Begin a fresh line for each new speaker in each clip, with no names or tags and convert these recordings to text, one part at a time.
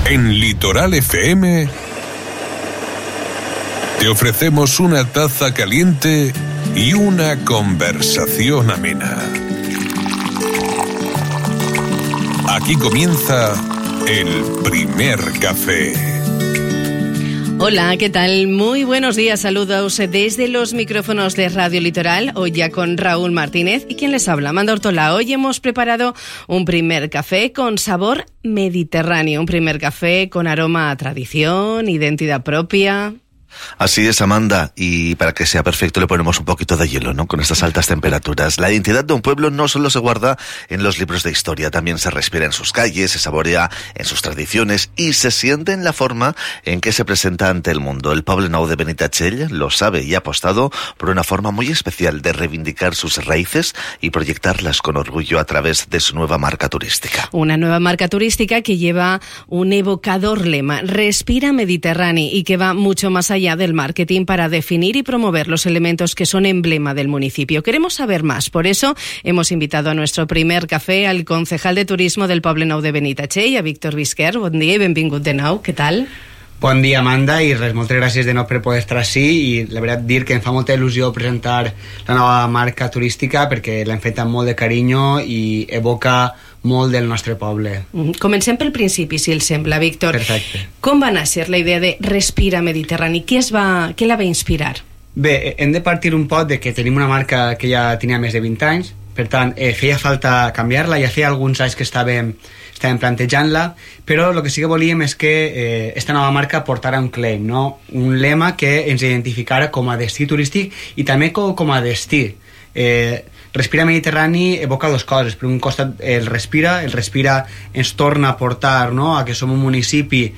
En Litoral FM te ofrecemos una taza caliente y una conversación amena. Aquí comienza el primer café.
Hola, ¿qué tal? Muy buenos días, saludos desde los micrófonos de Radio Litoral, hoy ya con Raúl Martínez y quien les habla, Amanda Ortola. Hoy hemos preparado un primer café con sabor mediterráneo, un primer café con aroma a tradición, identidad propia.
Así es, Amanda, y para que sea perfecto le ponemos un poquito de hielo, ¿no? Con estas altas temperaturas. La identidad de un pueblo no solo se guarda en los libros de historia, también se respira en sus calles, se saborea en sus tradiciones y se siente en la forma en que se presenta ante el mundo. El Poblenou de Benitatxell lo sabe y ha apostado por una forma muy especial de reivindicar sus raíces y proyectarlas con orgullo a través de su nueva marca turística.
Una nueva marca turística que lleva un evocador lema, Respira Mediterráneo, y que va mucho más allá del marketing para definir y promover los elementos que son emblema del municipio. Queremos saber más, por eso hemos invitado a nuestro primer café al concejal de turismo del Poblenou de Benitatxell, a Víctor Visquer. Bon dia i benvingut de nou, què tal?
Bon dia, Amanda, i res, moltes gràcies de nou per poder estar així, i la veritat dir que em fa molta il·lusió presentar la nova marca turística perquè l'hem fet amb molt de carinyo i evoca molt del nostre poble.
Comencem pel principi, si el sembla, Víctor.
Perfecte.
Com va néixer la idea de Respira Mediterrani? Què la va inspirar?
Bé, hem de partir un poc de que tenim una marca que ja tenia més de 20 anys, per tant, feia falta canviar-la, ja feia alguns anys que estàvem plantejant-la, però el que sí que volíem és que esta nova marca portara un claim, no? Un lema que ens identificara com a destí turístic i també com a destí. Respira Mediterrani evoca dues coses. Per un costat el respira ens torna a portar, no?, a que som un municipi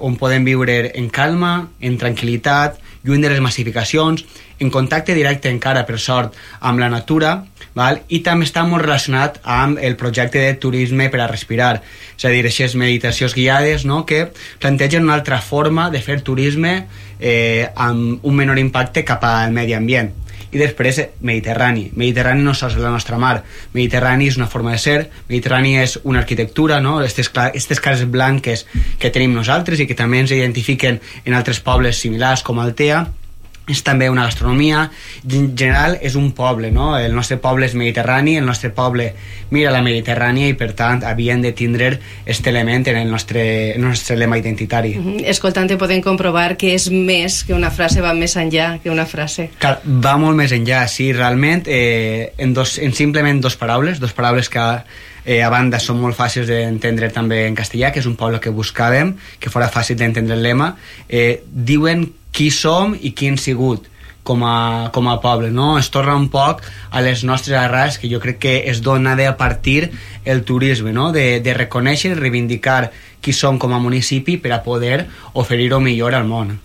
on podem viure en calma, en tranquil·litat, lluny de les massificacions, en contacte directe encara, per sort, amb la natura, val? I també està molt relacionat amb el projecte de turisme per a respirar, és a dir, aquestes meditacions guiades, no?, que plantegen una altra forma de fer turisme amb un menor impacte cap al medi ambient. I després Mediterrani no sols és la nostra mar, Mediterrani és una forma de ser, Mediterrani és una arquitectura, no? Aquestes cases blanques que tenim nosaltres i que també ens identifiquen en altres pobles similars com Altea. És també una gastronomia, en general és un poble, no? El nostre poble és mediterrani, el nostre poble mira la Mediterrània i per tant havien de tindre aquest element en el nostre lema identitari.
Escoltant-te podem comprovar que és més que una frase, va més enllà que una frase.
Clar, va molt més enllà, sí, realment en simplement dos paraules que a banda són molt fàcils d'entendre també en castellà, que és un poble que buscàvem, que fora fàcil d'entendre el lema, diuen qui som i qui hem sigut com a poble, no? Es torna un poc a les nostres arrels, que jo crec que es dona a partir el turisme, no? De reconèixer i reivindicar qui som com a municipi per a poder oferir-ho millor al món.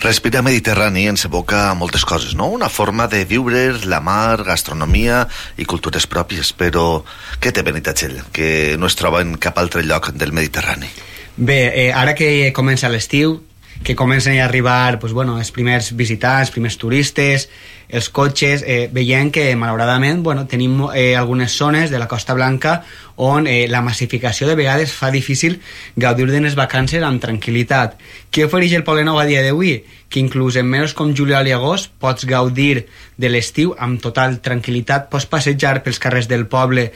Respira Mediterrani ens evoca moltes coses, no? Una forma de viure, la mar, gastronomia i cultures pròpies, però què té Benitatxell que no es troba en cap altre lloc del Mediterrani?
Bé, ara que comença l'estiu, que comencen a arribar els primers visitants, els primers turistes, els cotxes, veiem que malauradament tenim algunes zones de la Costa Blanca on la massificació de vegades fa difícil gaudir de les vacances amb tranquil·litat. Què ofereix el Poblenou a dia d'avui? Que inclús en mesos com juliol i agost pots gaudir de l'estiu amb total tranquil·litat, pots passejar pels carrers del poble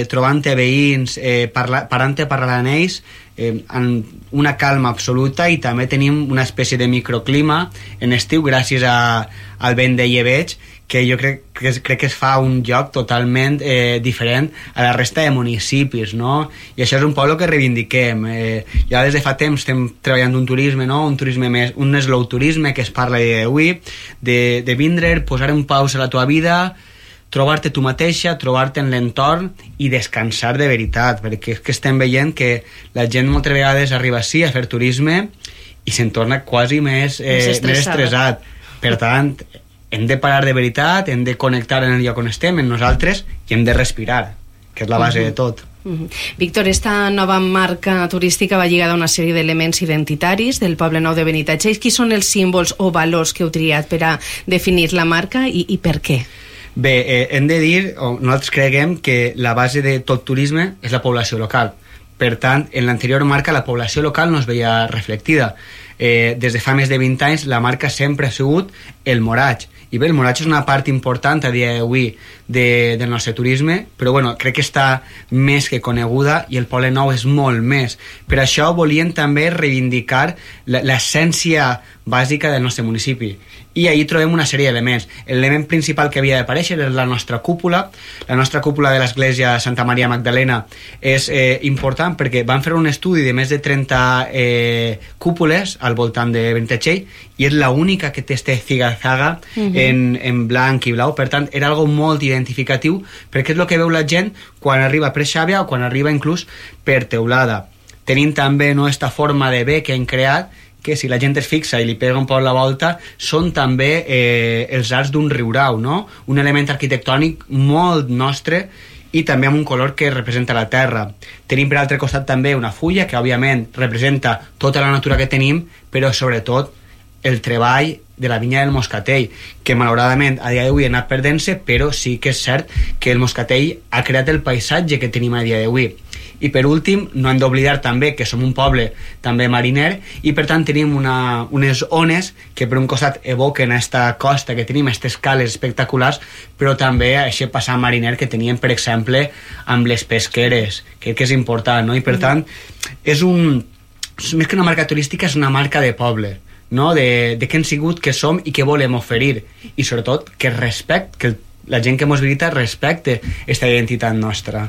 trobant-te veïns, parant-te parlant amb ells, amb una calma absoluta, i també tenim una espècie de microclima en estiu gràcies al vent de llebeig, que jo crec que es fa un lloc totalment diferent a la resta de municipis, no? I això és un poble que reivindiquem. Ja des de fa temps estem treballant un turisme, no? Un turisme més, un slow turisme que es parla d'avui, de vindre, posar en pausa la tua vida, trobar-te tu mateixa, trobar-te en l'entorn i descansar de veritat, perquè és que estem veient que la gent moltes vegades arriba així a fer turisme i se'n torna quasi més estressat. Per tant, hem de parar de veritat, hem de connectar en el lloc on estem, en nosaltres, i hem de respirar, que és la base de tot.
Víctor, esta nova marca turística va lligada a una sèrie d'elements identitaris del Poblenou de Benitatxell. Quins són els símbols o valors que heu triat per a definir la marca i per què?
Bé, hem de dir, nosaltres creguem que la base de tot turisme és la població local. Per tant, en l'anterior marca la població local no es veia reflectida. Des de fa més de 20 anys la marca sempre ha sigut el moratge. I bé, el moratge és una part important a dia d'avui del nostre turisme, però bueno, crec que està més que coneguda i el Poble Nou és molt més. Per això volien també reivindicar l'essència bàsica del nostre municipi. I ahí trobem una sèrie d'elements. L'element principal que havia d'aparèixer és la nostra cúpula. La nostra cúpula de l'església Santa Maria Magdalena és important perquè van fer un estudi de més de 30 cúpules al voltant de Benitatxell i és l'única que té este ziga-zaga en blanc i blau. Per tant, era algo molt identificatiu perquè és el que veu la gent quan arriba per Xàbia o quan arriba inclús per Teulada. Tenim també esta forma de B que hem creat, que si la gent es fixa i li pega un poc la volta, són també els arcs d'un riurau, no? Un element arquitectònic molt nostre i també amb un color que representa la terra. Tenim per altre costat també una fulla que òbviament representa tota la natura que tenim, però sobretot el treball de la vinya del moscatell, que malauradament a dia d'avui ha anat perdent-se, però sí que és cert que el moscatell ha creat el paisatge que tenim a dia d'avui. I per últim, no hem d'oblidar també que som un poble també mariner i per tant tenim unes ones que per un costat evoquen aquesta costa que tenim, aquestes cales espectaculars, però també aquest passat mariner que teníem, per exemple, amb les pesqueres. Crec que és important, no? I per tant, més que una marca turística, és una marca de poble, no? De què hem sigut, què som i què volem oferir. I sobretot que la gent que mos visita respecte aquesta identitat nostra.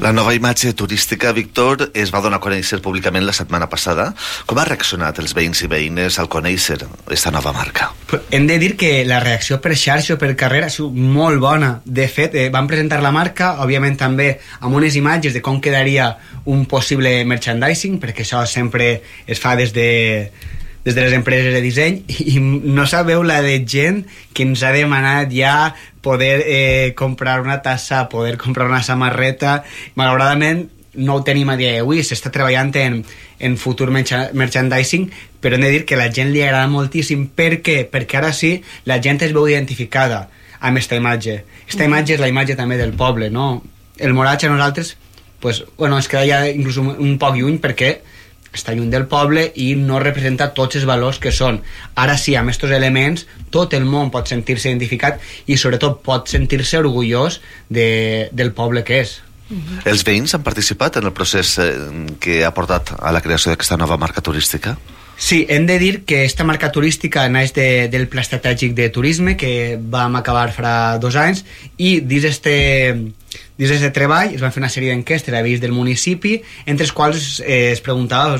La nova imatge turística, Víctor, es va donar a conèixer públicament la setmana passada. Com ha reaccionat els veïns i veïnes al conèixer aquesta nova marca?
Hem de dir que la reacció per xarxa o per carrer ha sigut molt bona. De fet, van presentar la marca, òbviament també amb unes imatges de com quedaria un possible merchandising, perquè això sempre es fa des de les empreses de disseny, i no sabeu la de gent que ens ha demanat ja poder comprar una tassa, poder comprar una samarreta. Malauradament no ho tenim a dia d'avui, s'està treballant en futur merchandising, però hem de dir que a la gent li agrada moltíssim. Per què? Perquè ara sí la gent es veu identificada amb aquesta imatge. Aquesta imatge és la imatge també del poble, no? El moratge a nosaltres es queda ja inclús un poc lluny perquè està lluny del poble i no representa tots els valors que són. Ara sí, amb aquests elements tot el món pot sentir-se identificat i sobretot pot sentir-se orgullós del poble que és.
Els veïns han participat en el procés que ha portat a la creació d'aquesta nova marca turística?
Sí, hem de dir que aquesta marca turística naix del Pla Estratègic de Turisme que vam acabar fa 2 anys i dins d'aquest treball es van fer una sèrie d'enquestes a veïns del municipi, entre els quals es preguntava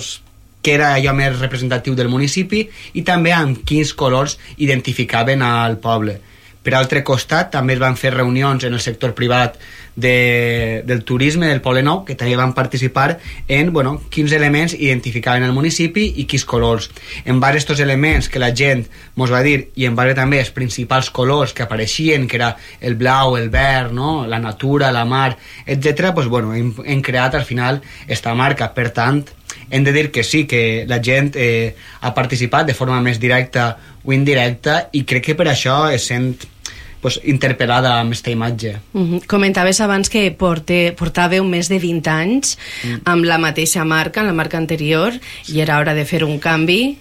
què era allò més representatiu del municipi i també amb quins colors identificaven al poble. Per altre costat, també es van fer reunions en el sector privat del turisme del Poble Nou, que també van participar en quins elements identificaven el municipi i quins colors. En base a aquests elements que la gent mos va dir i en base també als principals colors que apareixien, que era el blau, el verd, no? La natura, la mar, etc., hem creat al final esta marca. Per tant, hem de dir que sí, que la gent ha participat de forma més directa o indirecta i crec que per això es sent interpel·lada amb aquesta imatge.
Comentaves abans que portàveu més de 20 anys amb la mateixa marca, la marca anterior, i era hora de fer un canvi.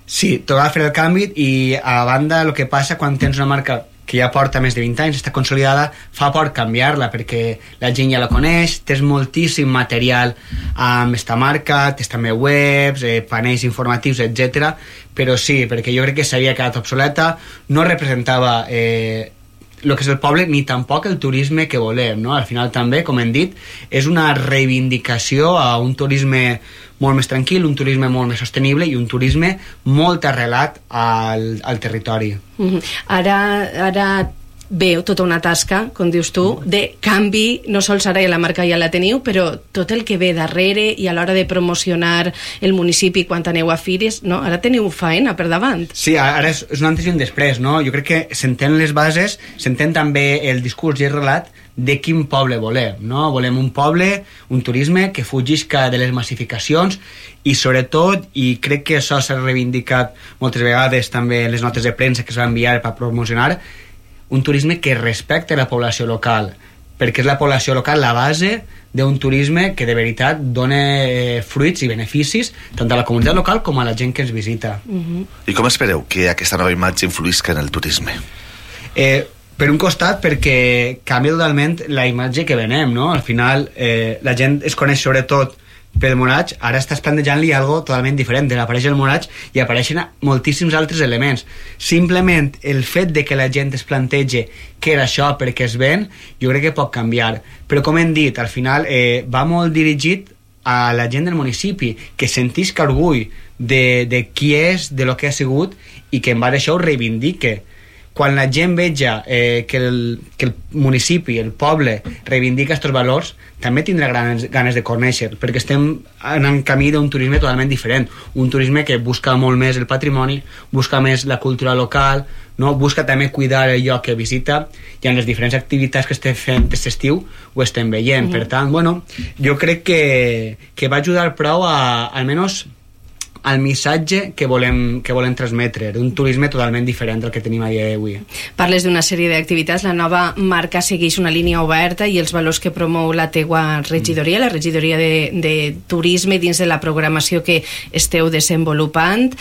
Sí, tocava fer el canvi i a banda el que passa quan tens una marca que ja porta més de 20 anys, està consolidada, fa por canviar-la perquè la gent ja la coneix, tens moltíssim material amb esta marca, tens també webs, panells informatius, etc. Però sí, perquè jo crec que s'havia quedat obsoleta, no representava el que és el poble ni tampoc el turisme que volem, no? Al final també, com hem dit, és una reivindicació a un turisme molt més tranquil, un turisme molt més sostenible i un turisme molt arrelat al territori.
Ara veu tota una tasca, com dius tu, de canvi, no sols ara la marca ja la teniu, però tot el que ve darrere i a l'hora de promocionar el municipi quan aneu a fires, no? Ara teniu faena per davant.
Sí, ara és un antes i un després, no? Jo crec que s'entén les bases, s'entén també el discurs i el relat de quin poble volem, no? Volem un poble, un turisme que fugisca de les massificacions i sobretot, i crec que això s'ha reivindicat moltes vegades també en les notes de premsa que es va enviar per promocionar, un turisme que respecte la població local, perquè és la població local la base d'un turisme que de veritat dona fruits i beneficis tant a la comunitat local com a la gent que ens visita.
I com espereu que aquesta nova imatge influïsca en el turisme?
Per un costat, perquè canvia totalment la imatge que venem, no? Al final, la gent es coneix sobretot pel Moraig, ara estàs plantejant-li algo totalment diferent. Apareix el Moraig i apareixen moltíssims altres elements. Simplement el fet de que la gent es plantegi què era això perquè es ven, jo crec que pot canviar. Però com hem dit, al final va molt dirigit a la gent del municipi, que sentisca orgull de qui és, de lo que ha sigut, i que en base a això ho reivindique. Quan la gent veja que el municipi, el poble, reivindica aquests valors, també tindrà ganes de conèixer, perquè estem en camí d'un turisme totalment diferent, un turisme que busca molt més el patrimoni, busca més la cultura local, no? Busca també cuidar el lloc que visita, i en les diferents activitats que estem fent aquest estiu ho estem veient. Per tant, bueno, jo crec que va ajudar prou almenys al missatge que volem transmetre, d'un turisme totalment diferent del que tenim a dia d'avui.
Parles d'una sèrie d'activitats, la nova marca segueix una línia oberta i els valors que promou la teua regidoria, la regidoria de turisme, dins de la programació que esteu desenvolupant,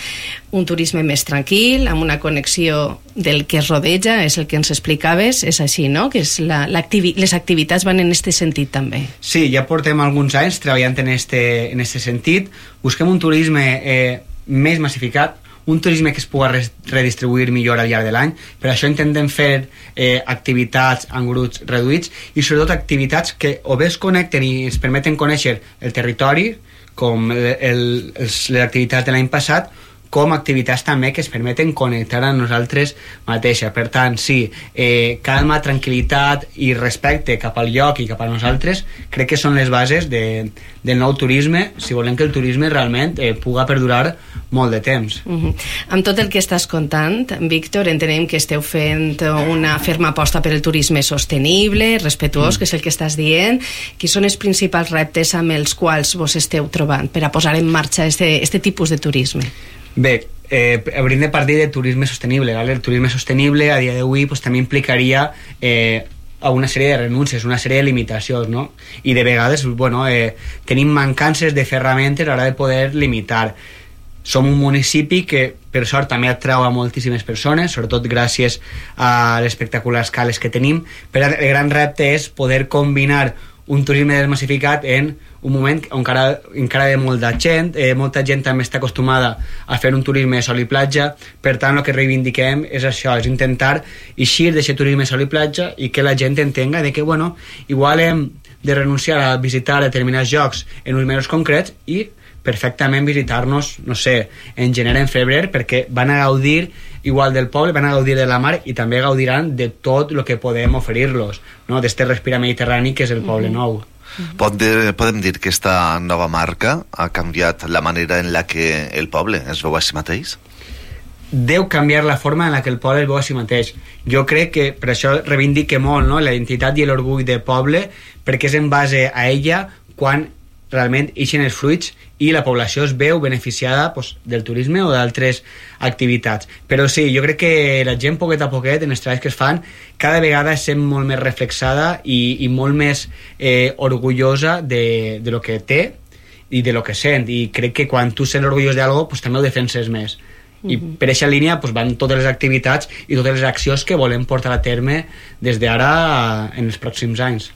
un turisme més tranquil, amb una connexió del que es rodeja, és el que ens explicaves, és així, no? Que és les activitats van en aquest sentit també.
Sí, ja portem alguns anys treballant en este sentit. Busquem un turisme més massificat, un turisme que es pugui redistribuir millor al llarg de l'any. Per això intentem fer activitats en grups reduïts i sobretot activitats que o bé es connecten i ens permeten conèixer el territori, com les activitats de l'any passat, com activitats també que es permeten connectar a nosaltres mateixes. Per tant, sí, calma, tranquil·litat i respecte cap al lloc i cap a nosaltres crec que són les bases del nou turisme, si volem que el turisme realment puga perdurar molt de temps.
Amb tot el que estàs contant, Víctor, entenem que esteu fent una ferma aposta per el turisme sostenible, respetuós, que és el que estàs dient. Quins són els principals reptes amb els quals vos esteu trobant per a posar en marxa este tipus de turisme?
Bé, hauríem de partir de turisme sostenible, ¿vale? El turisme sostenible a dia d'avui pues, també implicaria a una sèrie de renúncies, una sèrie de limitacions, no? I de vegades, bueno, tenim mancances de ferramentes a l'hora de poder limitar. Som un municipi que, per sort, també atrau a moltíssimes persones, sobretot gràcies a les espectaculars cales que tenim, però el gran repte és poder combinar un turisme desmassificat en un moment on encara hi ha molta gent també està acostumada a fer un turisme de sol i platja. Per tant, el que reivindiquem és això, és intentar eixir d'aquest turisme de sol i platja i que la gent entenga de que, bueno, igual hem de renunciar a visitar determinats llocs en uns mesos concrets i perfectament visitar-nos, no sé, en gener, en febrer, perquè van a gaudir igual del poble, van a gaudir de la mar i també gaudiran de tot el que podem oferir-los, no? D'este respira mediterrani que és el poble nou.
Podem dir que esta nova marca ha canviat la manera en la que el poble es veu a si mateix?
Deu canviar la forma en la que el poble es veu a si mateix. Jo crec que per això reivindique molt, no? La identitat i l'orgull del poble, perquè és en base a ella quan realment ixen els fruits i la població es veu beneficiada pues, del turisme o d'altres activitats. Però sí, jo crec que la gent poquet a poquet en els treballs que es fan cada vegada es sent molt més reflexada i molt més orgullosa de lo que té i de lo que sent, i crec que quan tu sents orgullós d'algo pues, també ho defenses més. I per aquesta línia pues, van totes les activitats i totes les accions que volem portar a terme des d'ara en els pròxims anys.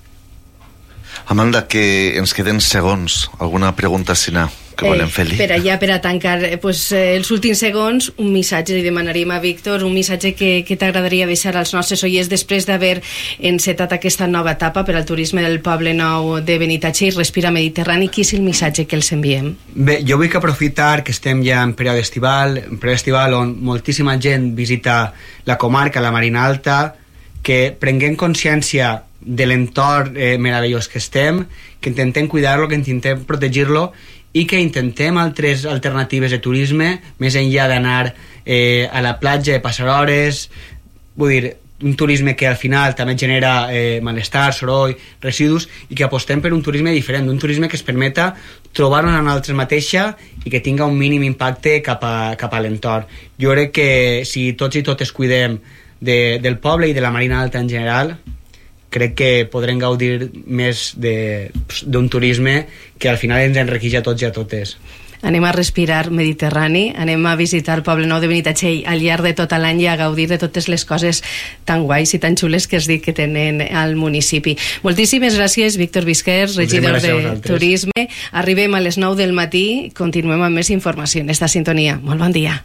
Amanda, que ens queden segons. Alguna pregunta, Sina, que volem fer-li?
Per a tancar els últims segons, un missatge, li demanaríem a Víctor, un missatge que t'agradaria deixar als nostres oients després d'haver encetat aquesta nova etapa per al turisme del Poble Nou de Benitatxell i Respira Mediterrani. Quin és el missatge que els enviem?
Bé, jo vull aprofitar que estem ja en període estival on moltíssima gent visita la comarca, la Marina Alta, que prenguem consciència de l'entorn meravellós que estem, que intentem cuidar-lo, que intentem protegir-lo i que intentem altres alternatives de turisme, més enllà d'anar a la platja, de passar hores, vull dir, un turisme que al final també genera malestar, soroll, residus, i que apostem per un turisme diferent, un turisme que es permeta trobar-nos a nosaltres mateixa i que tinga un mínim impacte cap a l'entorn. Jo crec que si tots i totes cuidem del poble i de la Marina Alta en general, crec que podrem gaudir més d'un turisme que al final ens enriqueix a tots i a totes.
Anem a respirar Mediterrani, anem a visitar el Poble Nou de Benitatxell al llarg de tot l'any i a gaudir de totes les coses tan guais i tan xules que es dic que tenen al municipi. Moltíssimes gràcies, Víctor Visquers, regidor de Turisme. Arribem a les 9 del matí, continuem amb més informació en esta sintonia. Molt bon dia.